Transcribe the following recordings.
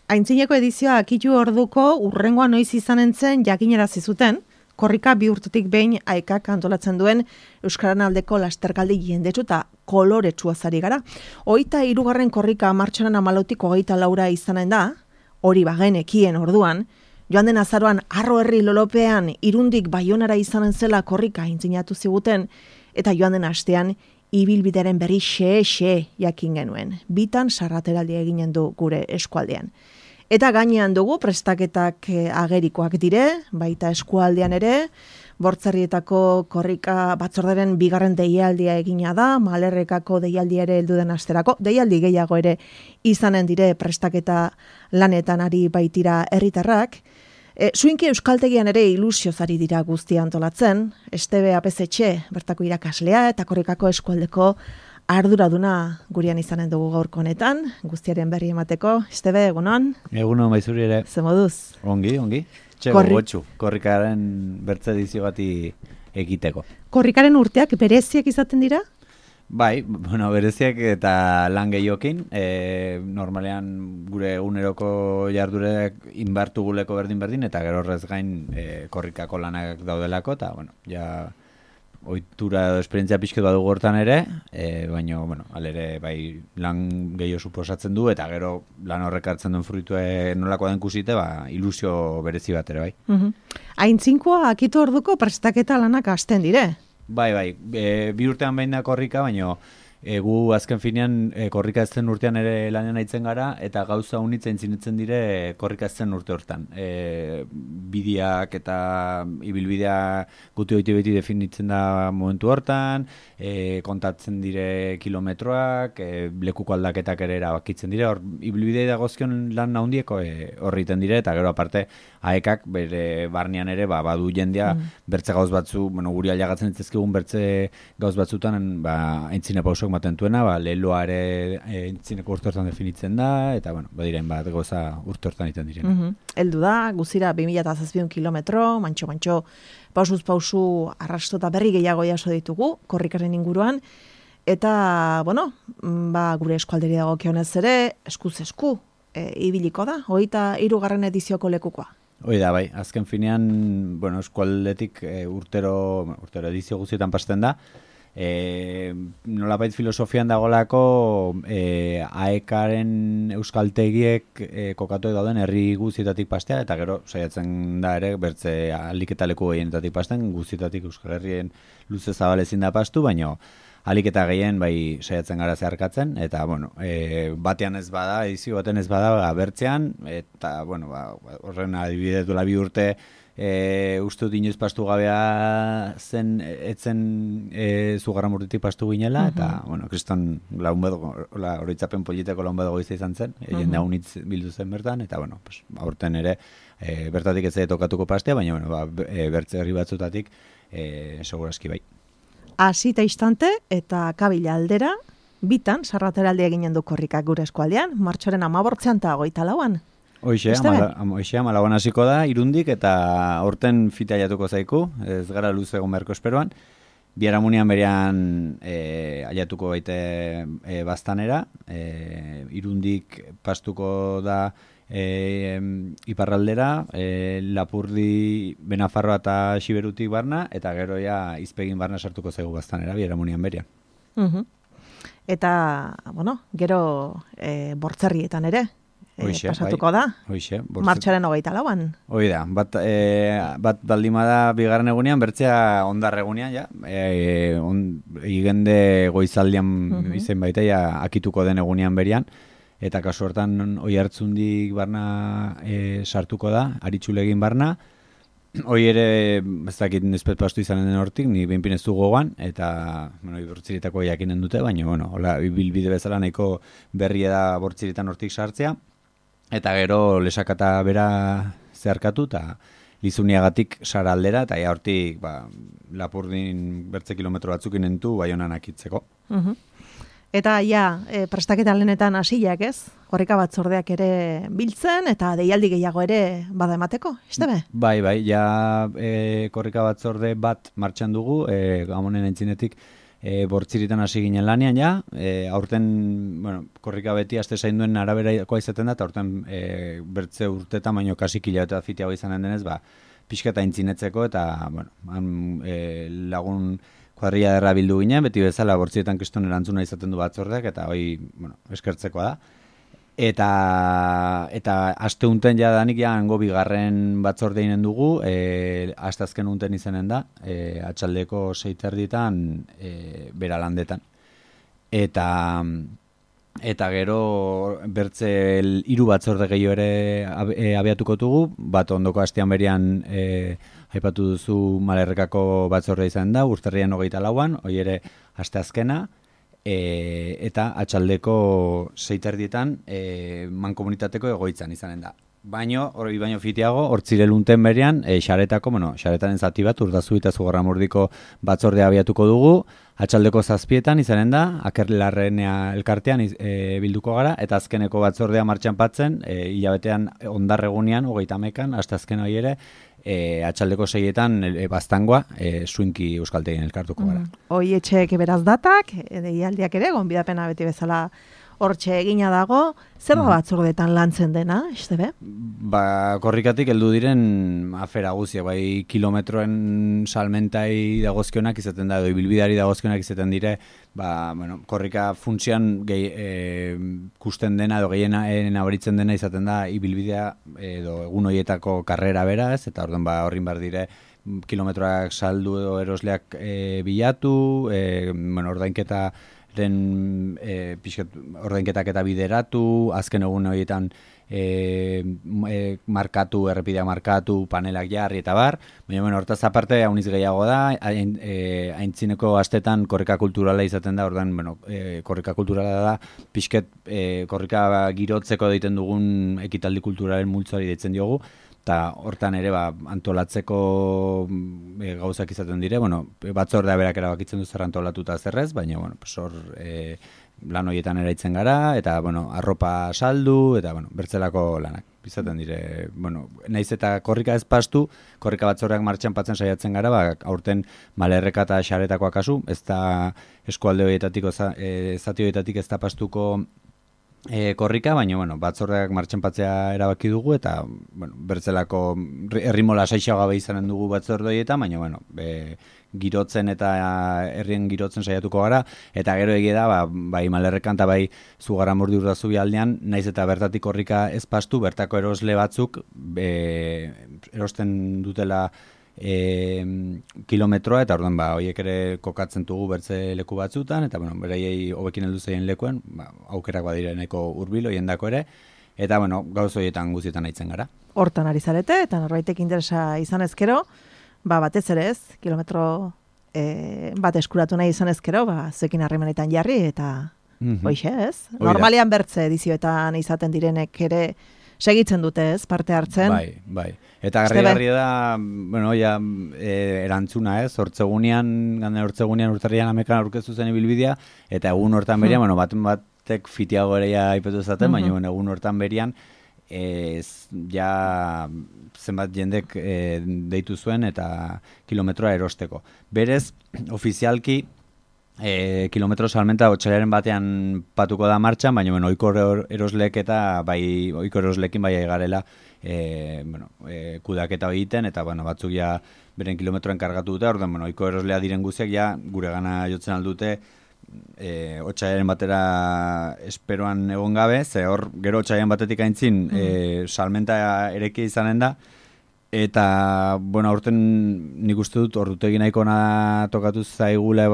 Aintzineko edizioa akitu orduko urrengoa noiz izanen zen jakinarazi zuten, korrika 2 urtetik behin AEKak antolatzen duen Euskararen aldeko lasterkaldi jendetsu eta koloretsua zari gara. 23. korrika martxoaren 14tik 24 izanen da, hori bagenekien orduan, joan den azaroan Arro herri lolopean Irundik Baionara izanen zela korrika aintzinatu ziguten, eta joan den astean ibilbideren berri xe jakin genuen. Bitan sarrateraldi eginen du gure eskualdean. Eta gainean dugu prestaketak agerikoak dire, baita eskualdean ere, Bortzerrietako korrika batzorderen 2. deialdia egina da, Malerrekako deialdia ere heldu den asterako, deialdi gehiago ere izanen dire prestaketa lanetan ari baitira herritarrak. Zuinki euskaltegian ere ilusiozari dira guztia antolatzen, Estebe Apezetxe, bertako irakaslea eta korrikako eskualdeko arduraduna gurean izanen dugu gaurko honetan, guztiaren berri emateko. Estebe, egunon? Egunon, baizuri ere. Ze moduz? Ongi. Gotxu, korrikaren bertze edizio bati egiteko. Korrikaren urteak bereziak izaten dira? Bai, bereziak eta lan gehiokin. Normalean gure eguneroko jardurek inbartuguleko berdin, eta gero horrez gain korrikako lanak daudelako, eta, ja ohitura edo esperientzia pixket badugu hortan ere, baina, alere, bai, lan gehiago suposatzen du, eta gero lan horrek hartzen duen fruitue nolako den kusite, ilusio berezi bat ere, bai. Aintzinkoa akitu orduko prestaketa lanak hasten dire? Bai, 2 urtean behin da korrika, baina gu azken finean korrika ez zen urtean ere lanean aitzen gara, eta gauza unitza intzinitzen dire korrika ez zen urte hortan. Bideak eta ibilbidea guti hoiti beti definitzen da momentu hortan, kontatzen dire kilometroak, lekuko aldaketak ere erabakitzen dire, hor ibilbidea dagozkion lan handieko horriten dire, eta gero aparte AEKak bere barnean ere badu jendea bertze gauz batzu, guri aliagatzen ditzezkigun bertze gauz batzutan aintzine pausok matentuena, leloa ere entzineko urte hortan definitzen da, eta, badiren bat goza urte hortan iten diren. Eldu da, guzira 2007 kilometro, mantxo, pausuz pausu arrasto eta berri gehiago jaso ditugu, korrikaren inguruan, eta, gure eskualderi dago kionez ere, eskuz esku, ibiliko da, 23. edizioko lekukoa. Hoi da, bai, azken finean, eskualdetik urtero edizio guztietan pasten da, nolabait filosofian dagolako AEKaren euskaltegiek kokatu dauden herri guztietatik pastea, eta gero saiatzen da ere bertze aliketa leku gehienetatik pasten, guztietatik Euskal Herrien luze zabalezin da pastu, baina aliketa gehien bai saiatzen gara zeharkatzen, eta batean ez bada, edizio baten ez bada bertzean, eta horren adibidez duela 2 urte uste dut inoiz pastu gabea zen, etzen Zugarram urtetik pastu ginela, eta, kriston oroitzapen politeko launbedo goizta izan zen, jende haunitz bildu zen bertan, eta, aurten ere, bertatik ez tokatuko pastea, baina, bertze herri batzutatik, seguraski bai. Hasi eta instante, eta kabila aldera, bitan, sarrateraldi eginen du korrikak gure eskualdean, martxoaren 18 eta 24an. Hoxe, 14 hasiko da, Irundik, eta aurten fita aiatuko zaiku, ez gara luze egon beharko esperoan. Biharamunian berean aiatuko baite baztanera, Irundik pastuko da iparraldera, Lapurdi, Benafarroa eta Xiberutik barna, eta gero ja izpegin barna sartuko zaigu baztanera, Biharamunian berean. Eta, gero Bortzerrietan ere, pasatuko da, martxoaren 24an. Hoi da, bat baldima da bigarren egunean, bertzea ondar egunean, ja, igende goizaldian izen baita, ja, akituko den egunean berian, eta kasu hortan oi hartzundik barna sartuko da, aritxulegin barna, hoi ere, ez dakit nizpet pastu izanen den hortik, ni behinpin ez du gogoan, eta, Bortziritako jakinen dute, baina, hola, bilbide bezala nahiko berria da Bortziritan hortik sartzea, eta gero lesakata bera zeharkatu, eta Lizuniagatik sara aldera, eta ja hortik Lapurdin bertze kilometro batzuk inentu Baionan akitzeko. Eta prestaketa lehenetan hasiak ez? Korrika batzordeak ere biltzen, eta deialdi gehiago ere bada emateko, Estebe? Bai, ja korrika batzorde bat martxan dugu, Gamonen entzinetik bortziritan hasi ginen lanean ja, aurten, bueno, korrika beti aste zainduen araberakoa izaten da, eta aurten bertze urtetan, baino kasi kilabete fitiago izanen denez, pixka eta intzinetzeko, eta, bueno, lagun kuadrilla derra bildu ginen, beti bezala bortzietan kriston erantzuna izaten du batzordeak, eta hoi, bueno, eskertzekoa da. Eta aste unten ja danik ja hango bigarren batzorde inen dugu, aste azken unten izanen da, atxaldeko 6:30 bera landetan. Eta gero bertze 3 batzorde gehiago ere abiatuko dugu, bat ondoko astean berian aipatu duzu Malerrekako batzorde izan da, urtarrian 24an, hoi ere aste azkena, eta atxaldeko 6:30 mankomunitateko egoitzan izanen da. Baino fitiago, hortzirelunten berean, xaretaren zati bat, Urdazu eta Zugarramurdiko batzordea abiatuko dugu, atxaldeko 7:00 izanen da, Akerlarrenea elkartean bilduko gara, eta azkeneko batzordea martxan patzen, hilabetean ondarregunean, 31an, hasta azken hori ere, atxaldeko 6:00 baztangoa, Suinki Euskaltegien elkartuko gara. Hoi etxeek beraz datak, deialdiak ere, gonbidapena beti bezala hortxe egina dago, zer da batzordetan lantzen dena, Estebe? Korrikatik heldu diren afera guzia, bai kilometroen salmentai dagozkionak izaten da, edo ibilbideari dagozkionak izaten dire, korrika funtzioan kusten dena edo gehien abaritzen dena izaten da ibilbidea edo egun horietako karrera beraz, eta horrin bar dire kilometroak saldu edo erosleak bilatu, ordainketa ordainketak eta bideratu, azken egun horietan markatu, errepidea markatu, panelak jarri eta bar, baina hortaz aparte hauniz gehiago da, aintzineko astetan korrika kulturala izaten da, korrika kulturala da, pixket korrika girotzeko egiten dugun ekitaldi kulturalen multzoari deitzen diogu, eta hortan ere antolatzeko gauzak izaten dire, batzordea berak erabakitzen du zer antolatuta zerrez, baina hor lan horietan eraitzen gara, eta arropa saldu, eta bertzelako lanak izaten dire. Naiz eta korrika ez pastu, korrika batzordeak martxan patzen saiatzen gara, aurten Malerreka eta Xaretakoa kasu, ez da eskualde horietatik, zati horietatik ez da pastuko korrika, baina batzordeak martxan patzea erabaki dugu, eta bertzelako herrimola saixago gabe izanen dugu batzorde horietan, baina girotzen eta herrien girotzen saiatuko gara, eta gero egia da, bai Malerrekan eta bai Zugarramurdi Urdazu aldean, naiz eta bertatik korrika ez pastu, bertako erosle batzuk erosten dutela kilometroa, eta orduan horiek ere kokatzen dugu bertze leku batzutan, eta beraiei hobekin heldu zaien lekuen, aukerak badire nahiko hurbil horien dako ere, eta gauz horietan guztietan aitzen gara. Hortan ari zarete, eta norbaitek interesa izan ezkero, batez ere ez, kilometro bat eskuratu nahi izan ezkero, zuekin harremanetan jarri, eta hoixe ez. Normalian bertze edizioetan izaten direnek ere segitzen dute ez, parte hartzen. Bai. Eta garri da, erantzuna ez, hortzegunean urtarrian amekan aurkeztu zen ibilbidea, eta egun hortan berian, batek fitiago ere aipetu zaten, baina egun hortan berian, zenbat jendek deitu zuen eta kilometroa erosteko. Berez, ofizialki, kilometro salmenta otxailaren batean patuko da martxan, baina ohiko eroslek eta ohiko eroslekin bai garela kudaketa egiten, eta batzuk ja beren kilometroen kargatu dute, orduan ohiko eroslea diren guziak ja gure gana jotzen aldute otxailaren batera esperoan egon gabe, ze hor gero otxailaren batetik aintzin salmenta ereki izanen da, eta, aurten nik uste dut ordutegi nahiko tokatu zaigule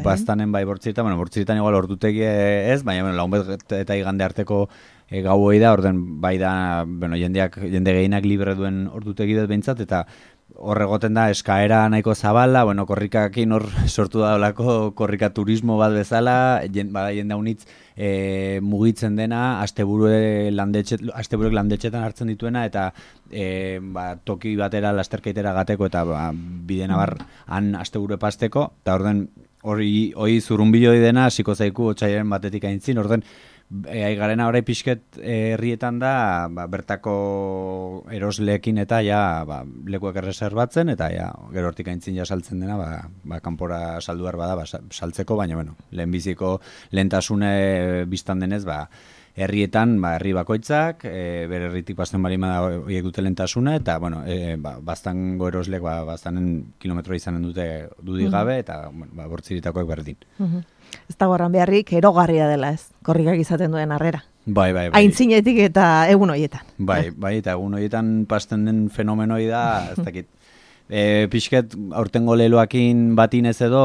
baztanen bortziritan, bortziritan igual ordutegi ez, baina launbet eta igande arteko gau hoi da, orden bai da, jende gehienak libre duen ordutegi dut behintzat, eta horregoten da eskaera nahiko zabala, korrikakin hor sortu da olako korrika turismo bat bezala, jende haunitz mugitzen dena, asteburuek landetxetan hartzen dituena, eta toki batera lasterkeitera gateko, eta bidena han asteburu pasteko, eta orden hori zurrunbiloi dena hasiko zaiku otsailaren batetik aintzin, orden Aigarena orai pixket herrietan da, bertako erosleekin eta lekuak erreserbatzen, eta gero hortik aintzin saltzen dena, kanpora saldu behar bada, saltzeko, baina, lehenbiziko lehentasune biztan denez, herrietan, herri bakoitzak, bere herritik pasten balima da horiek dute lehentasuna, eta, bastango eroslek, bastanen kilometroa izanen dute dudik gabe, eta, bortziritakoak berdin. Ez da gorran beharrik, erogarria dela ez, korrikak izaten duen harrera. Bai. Aintzinetik eta egun horietan. Bai, eta egun horietan pasten den fenomenoi da, ez dakit. Pixket, aurtengo leloakin batinez edo,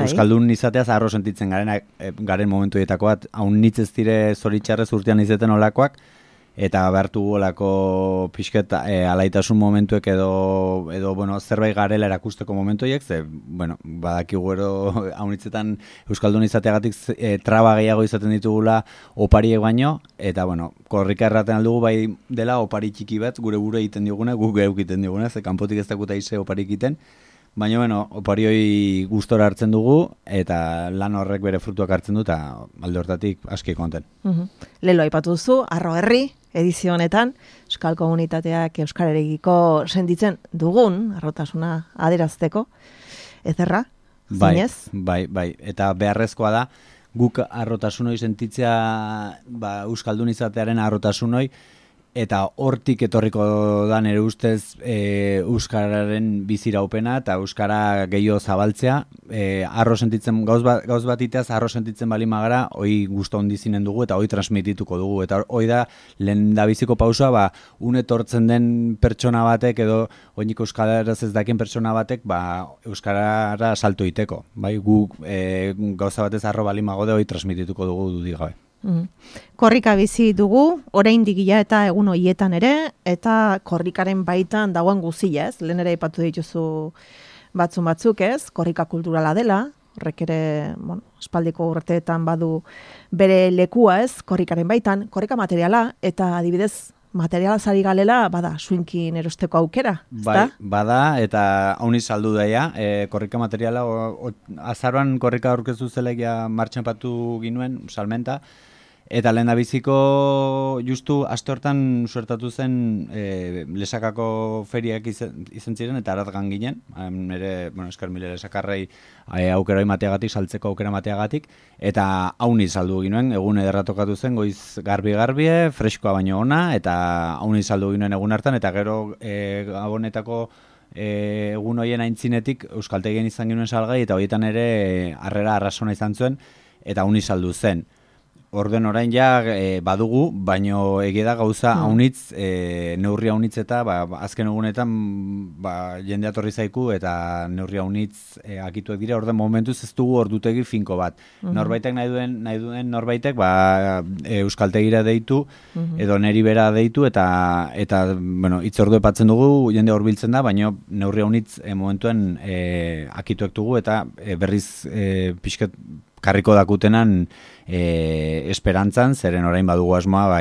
Euskaldun izateaz arro sentitzen garen momentu dietako bat, haun nitz ez dire zoritxarrez urtean izeten olakoak, eta behartu olako pixket alaitasun momentuek edo zerbait garela erakusteko momentuiek, badakigu ero haunitzetan Euskaldun izateagatik traba gehiago izaten ditugula opariek baino, eta korrika erraten aldugu bai dela opari txiki bat, gure egiten digune, guk geuk egiten digune, ze kanpotik ez dakuta ize oparik egiten, baina, opari hori gustora hartzen dugu, eta lan horrek bere frutuak hartzen du, eta alde hortatik aski konten. Lelo aipatu duzu, Arro Herri, edizio honetan, Euskal Komunitateak euskararekiko sentitzen dugun, arrotasuna adierazteko, ezerra, zinez? Bai, eta beharrezkoa da, guk arrotasunoi sentitzea, Euskaldun izatearen arrotasunoi, eta hortik etorriko da nire ustez Euskararen biziraupena eta Euskara gehiago zabaltzea. Arro sentitzen, gauz bat iteaz, arro sentitzen bali magara, hoi gusto ondizinen dugu eta hoi transmitituko dugu. Eta hoi da, lehen da biziko pausoa, etortzen den pertsona batek edo oinik Euskaraz ez dakien pertsona batek, Euskarara salto iteko. Guk gauza batez arro bali magode hoi transmitituko dugu dudik gabe. Korrika bizi dugu, oraindik eta egun horietan ere, eta korrikaren baitan dagoen guzia ez, lehen ere aipatu dituzu batzuk ez, korrika kulturala dela, horrek ere, espaldiko urteetan badu bere lekua ez, korrikaren baitan, korrika materiala, eta adibidez, materiala zari galela, suinkin erosteko aukera, ezta? Bada, eta hauni saldu daia, korrika materiala, azaroan korrika aurkeztu zelegia martxan patu ginuen, salmenta, eta lehen da biziko justu aste hortan suertatu zen lesakako feriak izan ziren, eta aratgan ginen, ere, eskar mile lesakarrei aukera emateagatik, saltzeko aukera emateagatik, eta hauni saldu ginoen, egun ederra tokatu zen, goiz garbi-garbie, freskoa baino ona, eta hauni saldu ginoen egun hartan, eta gero gabonetako egun hoien aintzinetik euskaltegien izan ginoen salgai, eta horietan ere harrera arrasona izan zuen, eta hauni saldu zen. Orden orain badugu, baino egia da gauza haunitz, neurri haunitz eta azken egunetan jende atorri zaiku eta neurri haunitz akituek dira, orden momentuz ez dugu ordutegi finko bat. Norbaitek nahi duen norbaitek euskaltegira deitu, edo neri bera deitu, eta hitz ordu epatzen dugu, jende horbiltzen da, baino neurri haunitz momentuen akituek dugu, eta berriz pixket karriko dakutenan esperantzan, zeren orain badugu asmoa,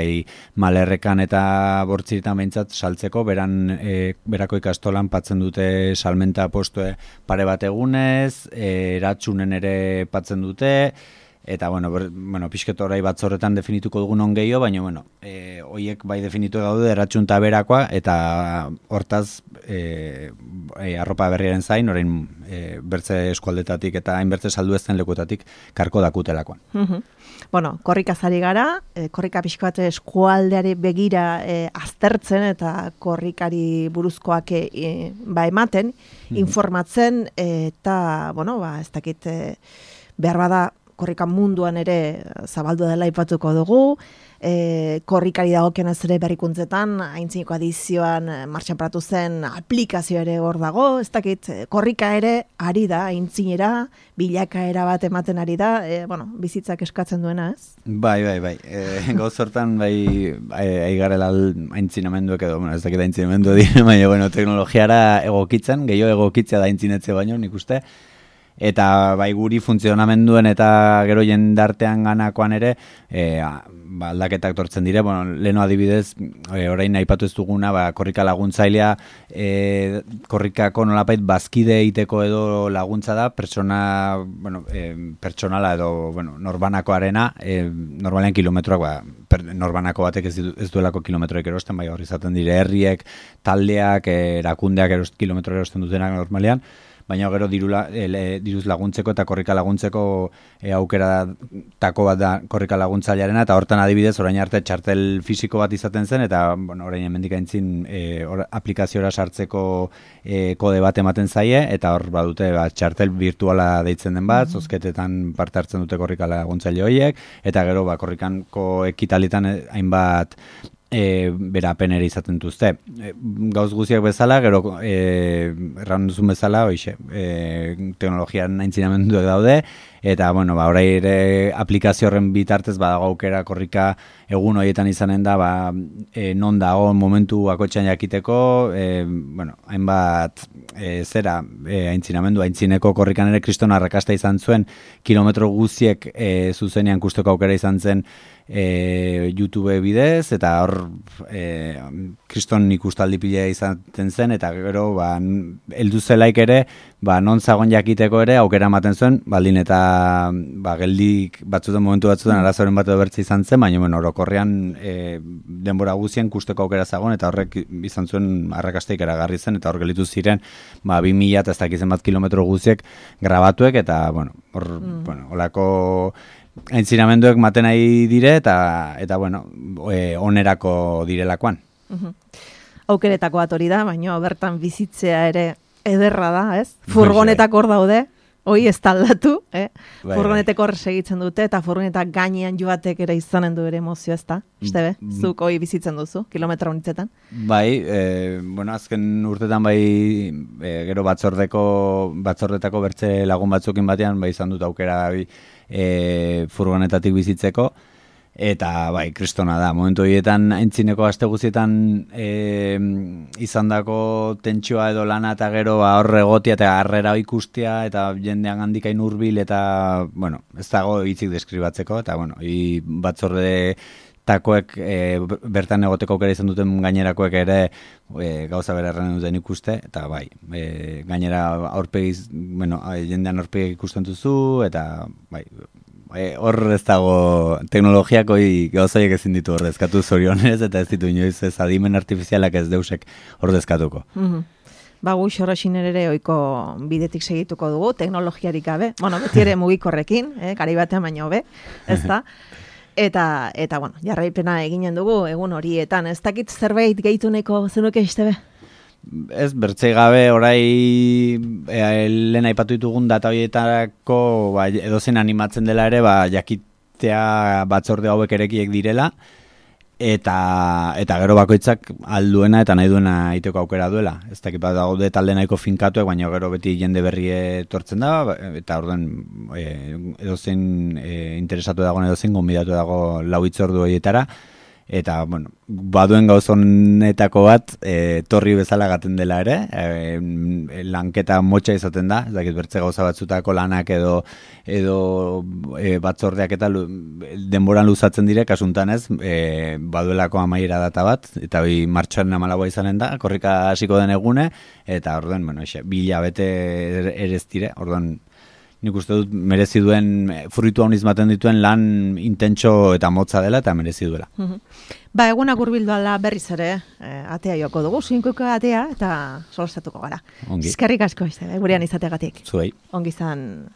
Malerrekan eta Bortziritan behintzat saltzeko, berako ikastolan patzen dute salmenta postue pare bat egunez, eratsunen ere patzen dute, eta, pixket orai batzorretan definituko dugun on gehiago, baina, hoiek bai definitu daude eratsun taberakoa, eta hortaz, arropa berriaren zain, orain bertze eskualdetatik eta hainbertze saldu ezten lekutatik karko dakutelakoan. Korrika zari gara, korrika pixko bat eskualdeari begira aztertzen eta korrikari buruzkoak ematen, informatzen, eta, ez dakit, behar bada, korrika munduan ere zabaldu dela aipatuko dugu, korrikari dagokionez ere berrikuntzetan, aintzineko adizioan martxan paratu zen aplikazio ere hor dago, ez dakit, korrika ere ari da, aintzinera, bilakaera bat ematen ari da, bizitzak eskatzen duena, ez? Bai. Gauz hortan, aigarela aintzinamenduek edo, ez dakit aintzinamendu dire, baina, teknologiara egokitzen, gehiago egokitzea da aintzinetze baino, nik uste, Eta bai guri funtzionamenduen eta gero jendartean ganakoan ere aldaketak tortzen dire. Bueno, leno adibidez, orain aipatu ez duguna, korrika laguntzailea, korrikako nolapait bazkide egiteko edo laguntza da, pertsonala edo norbanakoarena, normalean kilometroak, norbanako batek ez duelako kilometroek erosten, bai hori izaten dire herriek, taldeak, erakundeak kilometro erosten dutenak normalean, baina gero diruz laguntzeko eta korrika laguntzeko aukeratako bat da korrika laguntzailearena, eta hortan adibidez orain arte txartel fisiko bat izaten zen, eta orain hemendik aintzin aplikaziora sartzeko kode bat ematen zaie, eta hor badute txartel virtuala deitzen den bat, zozketetan parte hartzen dute korrika laguntzaile horiek, eta gero korrikanko ekitalitan hainbat berapenere izaten duzte. Gauz guziak bezala, gero erran duzun bezala, teknologian aintzinamenduak daude, eta, orai ere aplikazio horren bitartez badago aukera korrika egun horietan izanen da, non dago momentu bakotxean jakiteko, hainbat aintzineko korrikan ere kriston arrakasta izan zuen, kilometro guziek zuzenean kusteko aukera izan zen YouTube bidez, eta hor kriston ikustaldi pila izaten zen, eta gero heldu zelaik ere, non zagon jakiteko ere aukera ematen zuen, baldin eta geldik momentu batzutan arazoren bat edo bertze izan zen, baina orokorrean denbora guzien kusteko aukera zagon, eta horrek izan zuen arrakasteik eragarri zen, eta hor gelitu ziren 2000 eta ez dakizen bat kilometro guziek grabatuek, eta holako aintzinamenduek maten nahi dire, eta onerako direlakoan. Aukeretako bat hori da, baina bertan bizitzea ere ederra da, ez? Furgonetak hor daude, hoi ez taldatu, furgonetek hor segitzen dute, eta furgonetak gainean joatek ere izanen du ere emozio, ez da? Estebe, zuk hoi bizitzen duzu, kilometra honitzetan? Bai, azken urtetan gero batzordetako bertze lagun batzukin batean, izan dut aukera furgonetatik bizitzeko, eta kristona da, momentu horietan aintzineko aste guztietan izandako tentsioa edo lana, eta gero horre egotia eta harrera ikustea, eta jendean handikain hurbil, eta ez dago hitzik deskribatzeko, eta batzorde takoek bertan egoteko aukera izan duten gainerakoek ere gauza bera erran duten ikuste, eta gainera jendean aurpegi ikusten duzu, eta hor ez dago teknologiako gauzaiek ezin ditu ordezkatu zorionez, eta ez ditu inoiz ez adimen artifizialak ez deusek ordezkatuko. Gu xorroxin ere oiko bidetik segituko dugu, teknologiarik gabe, beti ere mugikorrekin, gari batean baino be, ez da? Eta jarraipena eginen dugu egun horietan. Ez dakit zerbait gehituneko zenuke Estebe? Ez, bertzei gabe orai lehen aipatu ditugun data horietarako edozen animatzen dela ere jakitea batzorde hauek erekiek direla, eta gero bakoitzak alduena eta nahi duena iteko aukera duela. Ez dakit bat daude talde nahiko finkatuek, baina gero beti jende berri etortzen da, eta orduan edozein interesatu dagoen edozein gonbidatu dago lau hitzordu horietara, eta baduen gauzonetako bat torri bezala gaten dela ere, lanketa motxa izaten da, ez dakit bertze gauza batzutako lanak edo batzordeak eta denboran luzatzen dire, kasuntan ez, baduelako amaiera data bat, eta martxoaren 14 izanen da, korrika hasiko den egune, eta orduan, bila bete ere ez dire, orduan nik uste dut merezi duen, fruitu hauniz maten dituen lan intentxo eta motza dela eta merezi duela. Egunak hurbildu ala berriz ere, atea joko dugu, zuinkuko atea eta solostatuko gara. Eskerrik asko, gurean izateagatik. Zuei. Ongi izan.